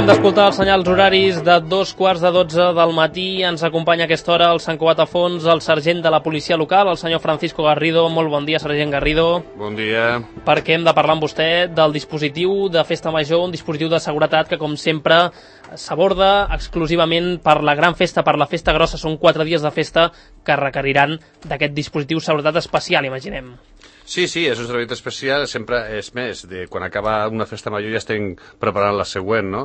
Acabem d'escoltar els senyals horaris de 2:15 del matí. Ens acompanya a aquesta hora el Sant Cugat a Fons, el sergent de la policia local, el senyor Francisco Garrido. Molt bon dia, sergent Garrido. Bon dia. Perquè hem de parlar amb vostè del dispositiu de Festa Major, un dispositiu de seguretat que, com sempre, s'aborda exclusivament per la gran festa, per la festa grossa. Són 4 dies de festa que requeriran d'aquest dispositiu de seguretat especial, imaginem. Sí, és un servei especial, sempre és més, quan acaba una festa major ja estem preparant la següent, no?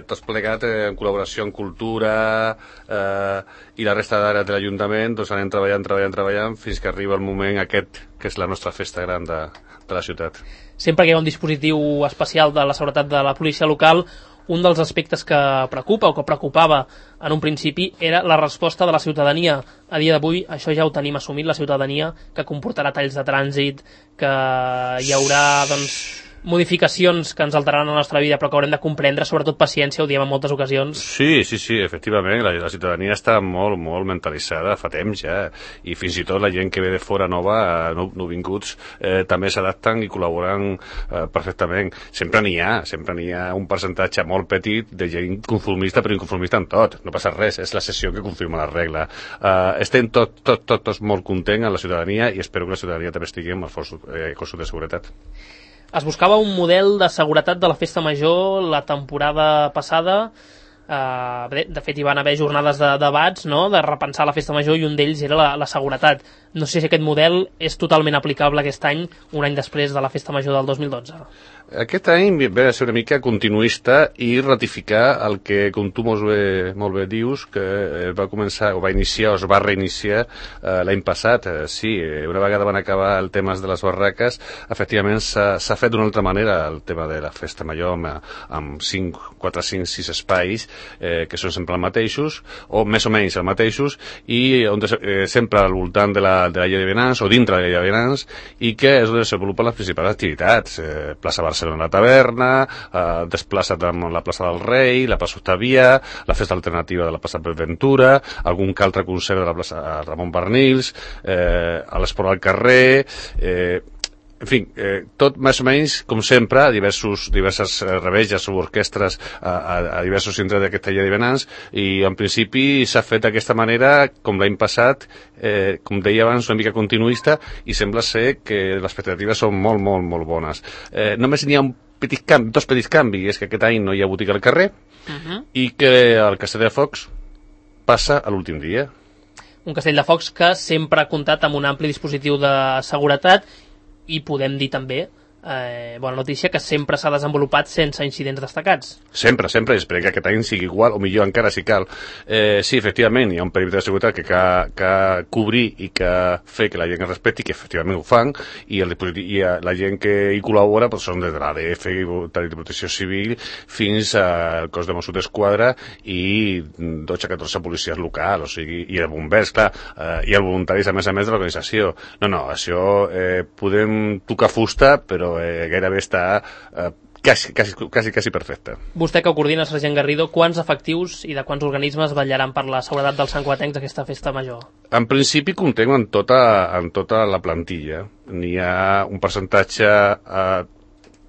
Tots plegat en col·laboració amb Cultura i la resta d'àrees de l'Ajuntament, doncs anem treballant fins que arriba el moment aquest, que és la nostra festa gran de la ciutat. Sempre que hi ha un dispositiu especial de la seguretat de la policia local, un dels aspectes que preocupa o que preocupava en un principi era la resposta de la ciutadania. A dia d'avui això ja ho tenim assumit, la ciutadania, que comportarà talls de trànsit, que hi haurà modificacions que ens alteraran la nostra vida, però que haurem de comprendre, sobretot paciència, ho diem en moltes ocasions. Sí, efectivament, la ciutadania està molt mentalitzada fa temps ja, i fins i tot la gent que ve de fora nova, nouvinguts, també s'adapten i col·laboren perfectament. Sempre n'hi ha un percentatge molt petit de gent conformista, però inconformista en tot, no passa res, és la sessió que confirma la regla. Estem tots molt contents amb la ciutadania i espero que la ciutadania també estigui amb els cossos de seguretat. Es buscava un model de seguretat de la festa major la temporada passada. De fet, hi van haver jornades de debats, no?, de repensar la festa major, i un d'ells era la seguretat. No sé si aquest model és totalment aplicable aquest any, un any després de la festa major del 2012. Aquest any ve a ser una mica continuista i ratificar el que, com tu molt bé dius, que va començar, o va iniciar, o es va reiniciar l'any passat. Sí, una vegada van acabar el tema de les barraques, efectivament s'ha fet d'una altra manera el tema de la festa major amb 4, 5, 6 espais que són sempre els mateixos, o més o menys els mateixos, i on sempre al voltant de la llei de vianants, o dintre de la llei de vianants, i que és on es desenvolupen les principals activitats. Plaça Barcelona, la taverna, desplaça't amb la plaça del Rei, la plaça Octavia, la festa alternativa de la plaça Pep Ventura, algun que altre concert de la plaça Ramon Barnils, a l'esport al carrer, en fi, tot més o menys com sempre, diverses reveges o orquestres a diversos centres d'aquesta llei de vianants, i en principi s'ha fet d'aquesta manera, com l'any passat, com deia abans, una mica continuista, i sembla ser que les expectatives són molt bones. Només n'hi ha dos petits canvis, és que aquest any no hi ha botiga al carrer, i que el Castell de Focs passa a l'últim dia. Un Castell de Focs que sempre ha comptat amb un ampli dispositiu de seguretat, i podem dir també, bona notícia, que sempre s'ha desenvolupat sense incidents destacats. Sempre, esperem que aquest any sigui igual, o millor encara si cal. Sí, efectivament, hi ha un perímetre de seguretat que cobrir i que fer que la gent es respecti, que efectivament ho fan, i la gent que hi col·labora són des de l'ADF i de Protecció Civil fins al cos de Mossos d'Esquadra i 12-14 policies locals, o sigui, i els bombers, clar, i els voluntaris, a més de l'organització. No, això podem tocar fusta, però gairebé està quasi perfecte. Vostè, que ho coordina, sergent Garrido, quants efectius i de quants organismes vetllaran per la seguretat dels santcugatencs d'aquesta festa major? En principi comptem amb tota la plantilla. N'hi ha un percentatge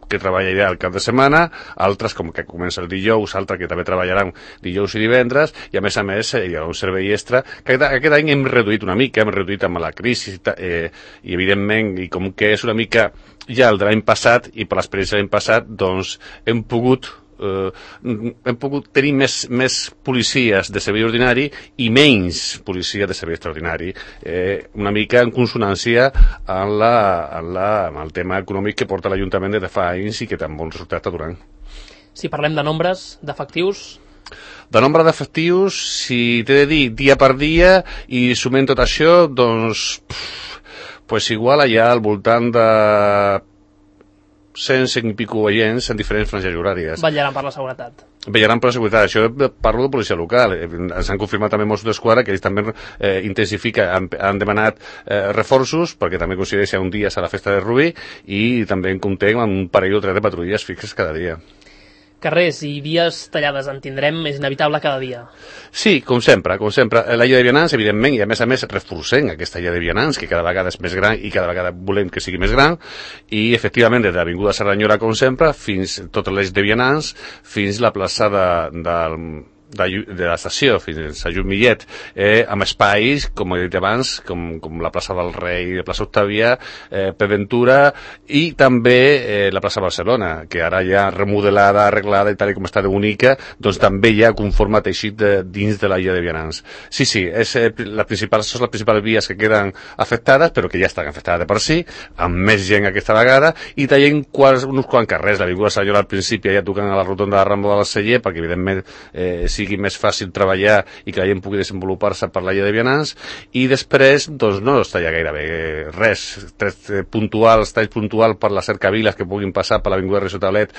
que treballarà el cap de setmana, altres com que comença el dijous, altres que també treballaran dijous i divendres, i a més hi ha un servei extra que aquest any hem reduït una mica, hem reduït amb la crisi i evidentment, i com que és una mica ja el de l'any passat, i per l'experiència de l'any passat, doncs hem pogut tenir més policies de servei ordinari i menys policies de servei extraordinari, una mica en consonància amb el tema econòmic que porta l'Ajuntament des de fa anys i que tan bon resultat està donant. Si parlem de nombres, d'efectius... De nombre d'efectius, si t'he de dir dia per dia i sumem tot això, doncs igual allà al voltant de 100 i pico agents en diferents franges horàries. Vetllaran per la seguretat. Vetllaran per la seguretat. Això parlo de policia local. Ens han confirmat també Mossos d'Esquadra que ells també intensifiquen, han demanat reforços, perquè també coincideix un dia a la festa de Rubí, i també comptem amb un parell o tres de patrulles fixes cada dia. Carrers i vies tallades en tindrem, és inevitable cada dia. Sí, com sempre. La llei de vianants, evidentment, i a més reforcem aquesta llei de vianants, que cada vegada és més gran i cada vegada volem que sigui més gran, i efectivament des de l'Avinguda Cerdanyola, com sempre, fins tot l'eix de vianants, fins la plaça de l'estació fins a Lluc Millet, amb espais, com he dit abans, com la plaça del Rei, la plaça Octàvia, Pep Ventura, i també la plaça Barcelona, que ara ja remodelada, arreglada i tal com està de bonica, doncs també ja conforma teixit dins de la llei de vianants. Sí, són les principals vies que queden afectades, però que ja estan afectades de per si, amb més gent aquesta vegada, i tallen uns quants carrers. L'Avinguda Cerdanyola al principi ja tocant a la rotonda de Rambla del Celler, perquè evidentment sigui més fàcil treballar i que la gent pugui desenvolupar-se per la llei de vianants, i després doncs no es talla gairebé res, talls puntuals per les cercaviles que puguin passar per l'Avinguda Recio Tablet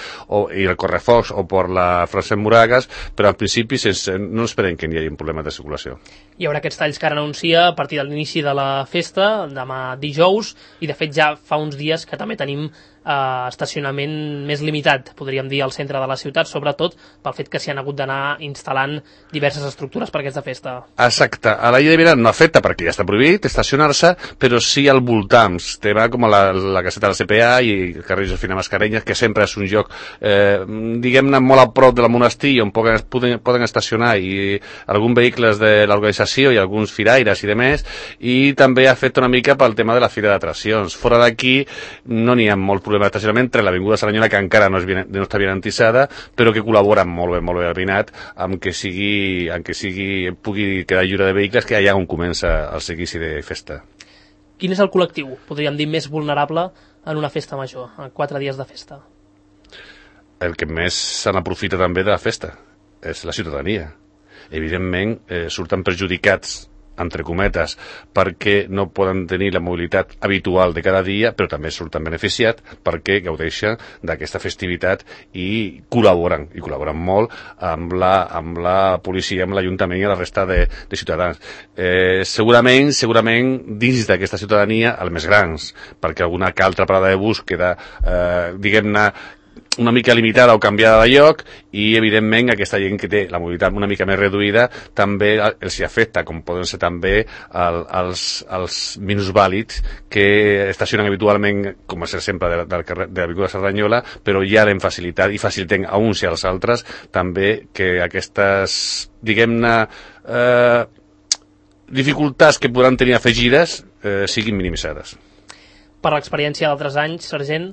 i el Correfocs o per la Francesc Moragas, però en principi no esperem que hi hagi problemes de circulació. Hi haurà aquests talls que ara anuncia a partir de l'inici de la festa, demà dijous, i de fet ja fa uns dies que també tenim estacionament més limitat, podríem dir, al centre de la ciutat, sobretot pel fet que s'hi han hagut d'anar instal·lant diverses estructures per aquesta festa. Exacte. A la llei de vianants no afecta perquè ja està prohibit estacionar-se, però sí al voltants. Tema com la caseta del CPA i el carrer Josefina Mascarenyes, que sempre és un lloc, diguem-ne, molt a prop de la monestir, on poden estacionar i alguns vehicles de l'organització i alguns firaires i demés, i també afecta una mica pel tema de la fira d'atraccions. Fora d'aquí no n'hi ha molt problema d'estacionament entre l'Avinguda Cerdanyola, que encara no està vianantitzada, però que col·labora molt bé al Vinat, amb que pugui quedar lliure de vehicles, que allà on comença el seguici de festa. Quin és el col·lectiu, podríem dir, més vulnerable en una festa major, en 4 dies de festa? El que més se n'aprofita també de la festa és la ciutadania. Evidentment, surten perjudicats entre cometes, perquè no poden tenir la mobilitat habitual de cada dia, però també surten beneficiat perquè gaudeixen d'aquesta festivitat i col·laboren molt amb la policia, amb l'Ajuntament i la resta de ciutadans. Segurament dins d'aquesta ciutadania, els més grans, perquè alguna que altra parada de bus queda, diguem-ne, una mica limitada o canviada de lloc, i evidentment aquesta gent que té la mobilitat una mica més reduïda també els hi afecta, com poden ser també els minusvàlids que estacionen habitualment, com és sempre de l'Avinguda Cerdanyola, però ja l'hem facilitat i facilitem a uns i als altres també que aquestes, diguem-ne, dificultats que podran tenir afegides siguin minimitzades. Per l'experiència d'altres anys, sergent,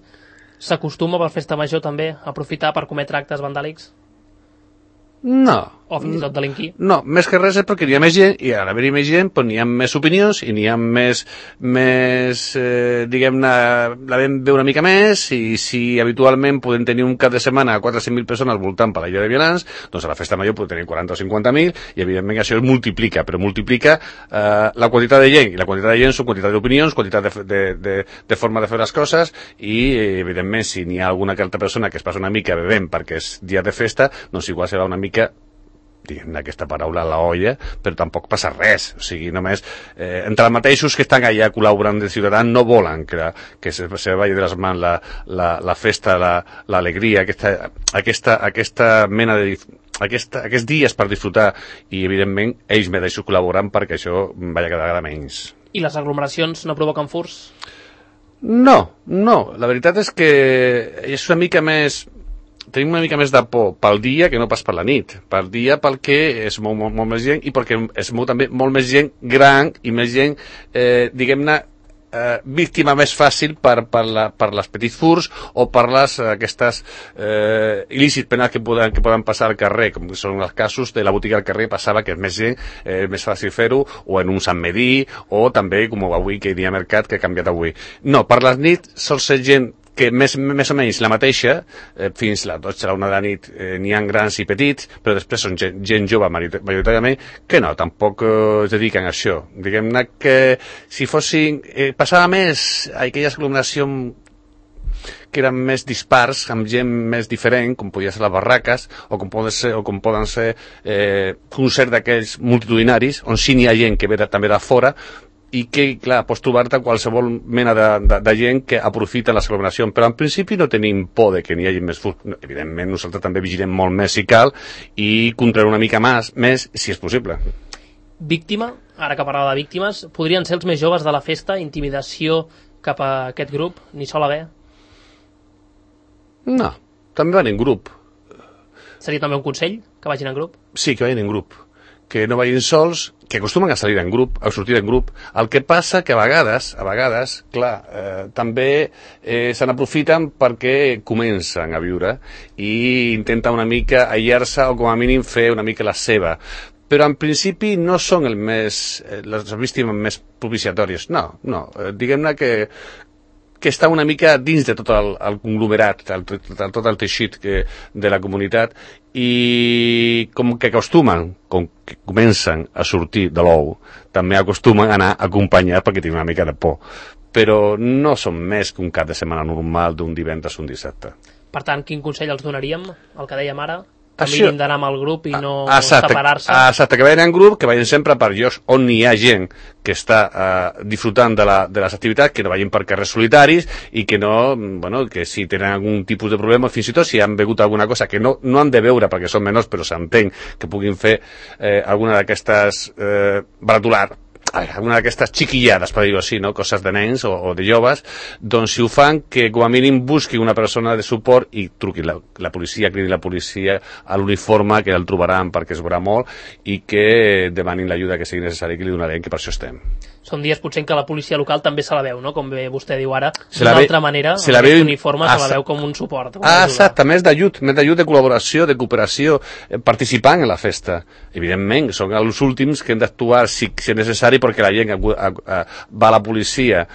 s'acostuma per festa major també a aprofitar per cometre actes vandàlics? No. O fins i tot delinquir? No, més que res és perquè n'hi ha més gent, i al haver-hi més gent n'hi ha més opinions i n'hi ha més diguem-ne, la vam veure una mica més, i si habitualment podem tenir un cap de setmana a 4 o 5.000 persones voltant per la llei de vianants, doncs a la festa major podem tenir 40 o 50.000, i evidentment això es multiplica, però multiplica la quantitat de gent, i la quantitat de gent són quantitat d'opinions, quantitat de forma de fer les coses, i evidentment si n'hi ha alguna que altra persona que es passa una mica bevent perquè és dia de festa, doncs igual serà una mica, diguem aquesta paraula, a la olla, però tampoc passa res. O sigui, només entre els mateixos que estan allà col·laborant de ciutadans no volen que se vagi de les mans la festa, l'alegria, aquesta mena de aquests dies per disfrutar, i evidentment ells mateixos col·laboren perquè això vagi cada vegada menys. I les aglomeracions no provoquen furts? No, la veritat és que és una mica més, tenim una mica més de por pel dia que no pas per la nit. Pel dia perquè es mou molt més gent, i perquè es mou també molt més gent gran i més gent, diguem-ne, víctima més fàcil per les petits furs o per aquestes il·lícits penals que poden passar al carrer, com són els casos de la botiga al carrer. Passava que és més gent, més fàcil fer-ho, o en un Sant Medí, o també com avui que hi ha mercat, que ha canviat avui. No, per les nits sol ser gent que més o menys la mateixa, fins a les 12 a la 1 de la nit n'hi ha grans i petits, però després són gent jove majoritàriament, que no, tampoc es dediquen a això. Diguem-ne que si fossin, passava més a aquelles aglomeracions que eren més dispars, amb gent més diferent, com podien ser les barraques, o com poden ser concerts d'aquells multitudinaris, on sí n'hi ha gent que ve també de fora, i que, clar, pots trobar-te qualsevol mena de gent que aprofita les aglomeracions, però en principi no tenim por de que n'hi hagi més furs. Evidentment, nosaltres també vigilem molt més si cal i controlar una mica més si és possible. Víctima, ara que parlava de víctimes, podrien ser els més joves de la festa, intimidació cap a aquest grup, ni sol haver? No, també van en grup. Seria també un consell, que vagin en grup? Sí, que vagin en grup. Que no vagin sols, que acostumen a salir en grup, a sortir en grup. El que passa que a vegades, clar, també se n'aprofiten perquè comencen a viure i intenten una mica aïllar-se o com a mínim fer una mica la seva. Però en principi no són les víctimes més propiciatòries. No. Diguem-ne que està una mica dins de tot el conglomerat, tot el teixit de la comunitat, i com que comencen a sortir de l'ou, també acostumen a anar acompanyats perquè tenen una mica de por. Però no són més que un cap de setmana normal d'un divendres o un dissabte. Per tant, quin consell els donaríem? El que dèiem ara? Que mirin d'anar amb el grup i no exacte, separar-se. Exacte, que vagin en grup, que vagin sempre per llocs on hi ha gent que està disfrutant de les activitats, que no vagin per carrers solitaris i que no, que si tenen algun tipus de problema, fins i tot si han begut alguna cosa que no han de veure perquè són menors, però s'entén que puguin fer alguna d'aquestes alguna d'aquestes xiquillades, per dir-ho així, no? Coses de nens o de joves, doncs si ho fan, que com a mínim busqui una persona de suport i truqui la policia, cridi la policia a l'uniforme, que el trobaran perquè es veurà molt, i que demanin l'ajuda que sigui necessari, que li donarem, que per això estem. Són dies potser en què la policia local també se la veu, no? Com bé vostè diu ara, d'una altra manera, amb aquest uniforme se la veu com un suport. Exacte, més d'ajut, de col·laboració, de cooperació, participant en la festa. Evidentment, són els últims que hem d'actuar si és necessari, perquè la gent va a la policia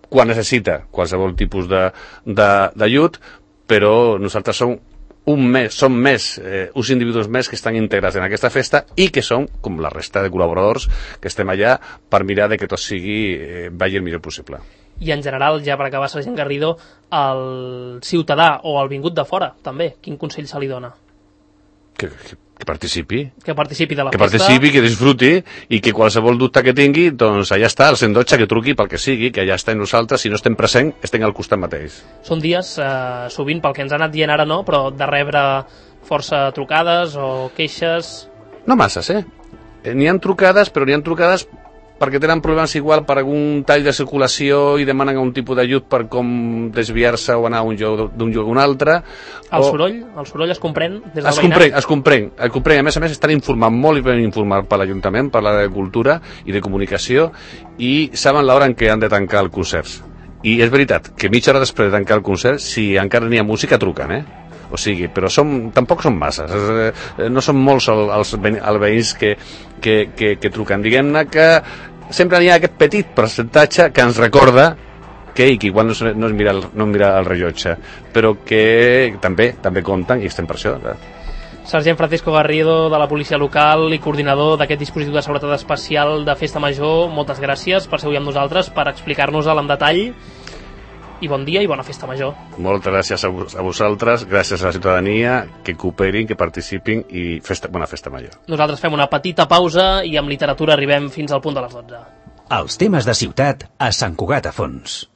quan necessita qualsevol tipus d'ajut, però nosaltres som uns individus més que estan integrats en aquesta festa i que som, com la resta de col·laboradors, que estem allà per mirar de que tot vagi el millor possible. I en general, ja per acabar, Sergent Garrido, el ciutadà o el vingut de fora, també, quin consell se li dona? Que participi. Que participi de la festa. Que participi, que disfruti i que qualsevol dubte que tingui, doncs allà està, el 112, que truqui pel que sigui, que allà estem nosaltres, si no estem present, estem al costat mateix. Són dies, sovint, pel que ens ha anat dient ara no, però de rebre força trucades o queixes... No masses, N'hi ha trucades, però n'hi ha trucades perquè tenen problemes igual per algun tall de circulació i demanen un tipus d'ajut per com desviar-se o anar d'un lloc a un altre. El soroll es comprèn des del veïnat? Es comprèn. A més, estan informant molt i ben informant per l'Ajuntament, per l'àrea de Cultura i de Comunicació, i saben l'hora en què han de tancar el concert. I és veritat que mitja hora després de tancar el concert, si encara n'hi ha música, truquen, O sigui, però tampoc són masses, no són molts els veïns que truquen. Diguem-ne que sempre hi ha aquest petit percentatge que ens recorda que igual no mira el rellotge, però que també compten i estem per això. Sergent Francisco Garrido, de la policia local i coordinador d'aquest dispositiu de seguretat especial de Festa Major, moltes gràcies per ser avui amb nosaltres, per explicar-nos-el en detall, i bon dia i bona Festa Major. Moltes gràcies a vosaltres, gràcies a la ciutadania, que cooperin, que participin i bona Festa Major. Nosaltres fem una petita pausa i amb literatura arribem fins al punt de les 12. Els temes de ciutat a Sant Cugat a Fons.